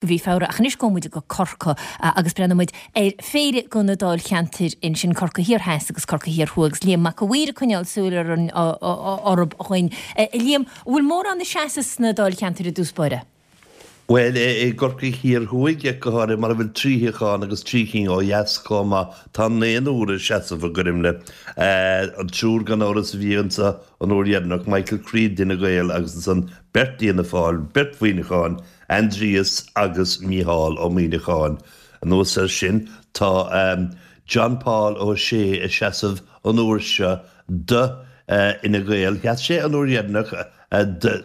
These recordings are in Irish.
Go mhí Feabhra, ach anois gabhfaidh muid go Corcaigh agus breathnóidh muid ar phéire de na dáilcheantair ansin, Corcaigh Thiar Theas agus Corcaigh Thiar Thuaidh, agus Liam Mac a' Mhaoir ag coinneáil súil ar an orthub dhuinn. A Liam, an bhfuil mórán ag seasamh sna dáilcheantair i dtús báire? Bhuel, i gCorcaigh Thiar Thuaidh go háirithe, mar a bhfuil trí shuíochán agus trí cinn ó dheas chomh maith, tá naonúr ag seasamh i gcoirimle. An triúr gan amhras a bhí anseo an uair dheireanach, Michael Creed d'Fhine Gael agus ansan beirt d'Fhianna Fáil, beirt Mhuineacháin, Aindrias agus Mícheál Ó Muimhneacháin. Anuas air sin, tá John Paul Ó Sé ag seasamh an uair seo do Fhine Gael. Sheas sé an uair dheireanach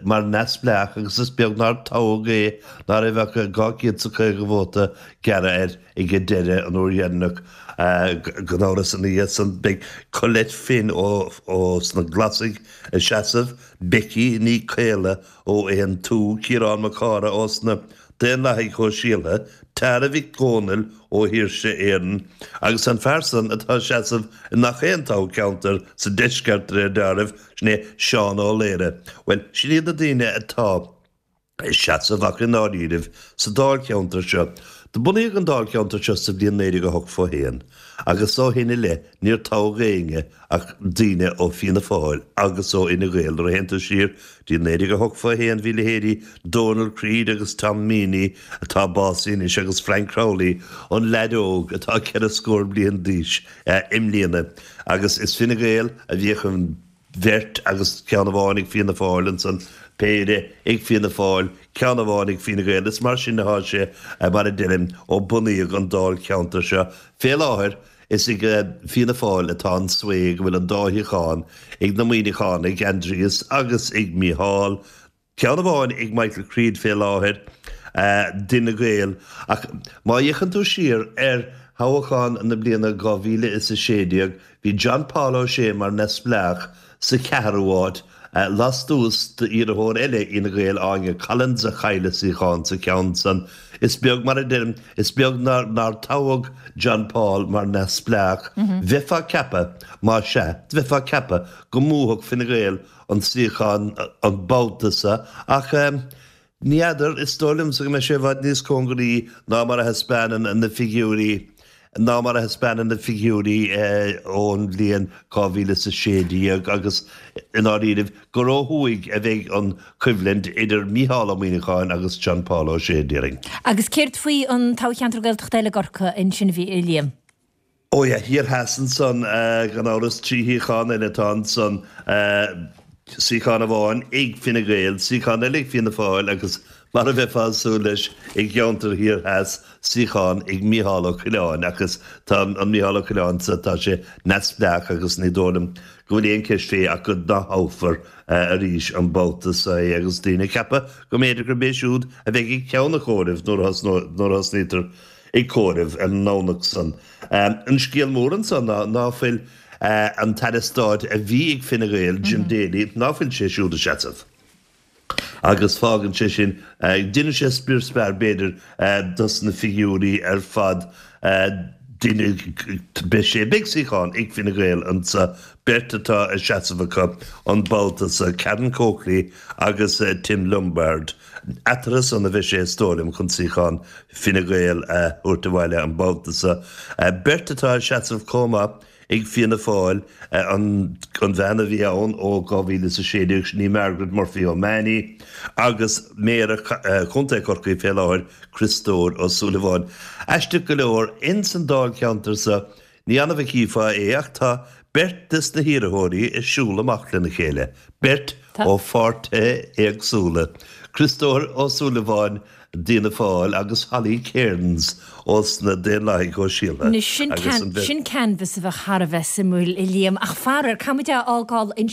mar neamhspleách agus is beag nár toghadh é, ná raibh ach 250 vóta gearrtha air ag an deireadh an uair dheireanach. Gan amhras ina dhiaidh san beidh Colette Finn ó sna Glasaigh ag seasamh, Becky Ní Caola ó Aontú, Ciarán Mac Cárthaigh ós na Daonlathaigh Shóisialtha, Tara Mhic Dhónaill ó Shaoirse Éireann, agus an fear san atá ag seasamh i ngach aon toghcheantar sa deisceart de réir dealraimh, sin é Seán Ó Laoire. Bhuel, sin iad na daoine atá ag seasamh ach i ndáiríribh sa dáilcheantar seo. Do bunaíodh an dáilcheantar seo sa bhliain 1981 agus ó shin i leith níor toghadh éinne ach daoine ó Fianna Fáil agus ó Fhine Gael. Nuair a théann tú siar dtí 1981 bhí leithéidí Donal Creed agus Tom Meaney, atá básaithe anois, agus Frank Crowley, an leaid óg atá ceithre scór bliain d'aois i mbliana. Agus is Fine Gael a bhíodh an bheirt agus ceann amháin ag Fianna Fáil ansan, péire ag Fianna Fáil, ceann amháin ag Fine Gael. Is mar sin atá sé, mar a deirim, ó bunaíodh an dáilcheantar seo. Fé láthair, Is ag Fianna Fáil atá an sway go bhfuil an dá shuíochán ag na Muimhneachánaigh, Aindrias agus ag Mícheál, ceann amháin ag Michael Creed fé láthair, d'Fhine Gael. Ach má fhéachann tú siar ar thoghchán na bliana 2016, bhí John Paul O'Shea mar neamhspleách sa cheathrú háit, lastuas d'iarrthóir eile Fhine Gael, Áine Collins, a chaill a suíochán sa cheann san. Is beag, mar a deirim, is beag nár toghadh John Paul mar neamhspleách. Bheifeá ag ceapadh, má sea, bheifeá ag ceapadh go mbuafadh Fine Gael an suíochán an babhta so ach ní fheadar, is dóigh liomsa go mbeidh sé i bhfad níos cóngaraí ná mar a thaispeánann na figiúirí. ná mar a thaispeánann na figiúirí ón bhliain 2016 agus, i ndáiríribh, gur ó thuaidh a bheidh an choimhlint idir Mícheál Ó Muimhneacháin agus John Paul Ó Sé, déarfainn. Agus céard faoi an toghcheantar Gaeltachta eile i gCorcaigh ansin, a Liam? Ó yeah, thiar theas ansan, gan amhras, trí shuíochán eile atá ansan, suíochán amháin ag Fine Gael, suíochán eile ag Fianna Fáil agus, mar a bheifeá ag súil leis i gceantar thiar theas, suíochán ag Mícheál Ó Coileáin ach is tá an Mícheál Ó Coileáin so tá sé neamhspleách agus ní dóigh liom go bhfuil aon cheist fé ach go n-atoghfar arís an babhta so é agus daoine ag ceapadh go mb'fhéidir gurb é siúd a bheidh ag ceann an chomhairimh nuair a thosnaítear ag comhaireamh ar an nDomhnach san. An scéal mór anso ná ná fuil an tAire Stáit a bhí ag Fine Gael, Jim Daly, ná fuil sé siúd ag seasamh. Agus fágann sé sin, déanann sé spior spear b'fhéidir dos na figiúirí ar fad, beidh sé, beidh suíochán ag Fine Gael anso, beirt atá ag seasamh acu an babhta so, Karen Coakley agus Tim Lombard. Eatarthu san a bheidh sé is dóigh liom chun suíochán Fine Gael a thabhairt abhaile an babhta so. Beirt atá ag seasamh chomh maith. Ag Fianna Fáil, an bhean a bhí ann ó 2016, sin í Margaret Murphy O'Mahony, agus Méara Chontae Chorcaí fé láthair, Criostóir Ó Súilleabháin. Aisteach go leor, ins an dáilcheantar so, ní annamh a chífeá é, ach tá beirt des na hiarrthóirí ag siúl amach lena chéile, beirt ó pháirtithe éagsúla, Criostóir Ó Súilleabháin d'Fhianna Fáil agus Holly Cairns ós na Daonlathaigh Shóisialtha Anois, sin, sin canvas a bheadh thar a bheith suimiúil, a Liam, ach faraor, caithfimid é a fhágáil ansin.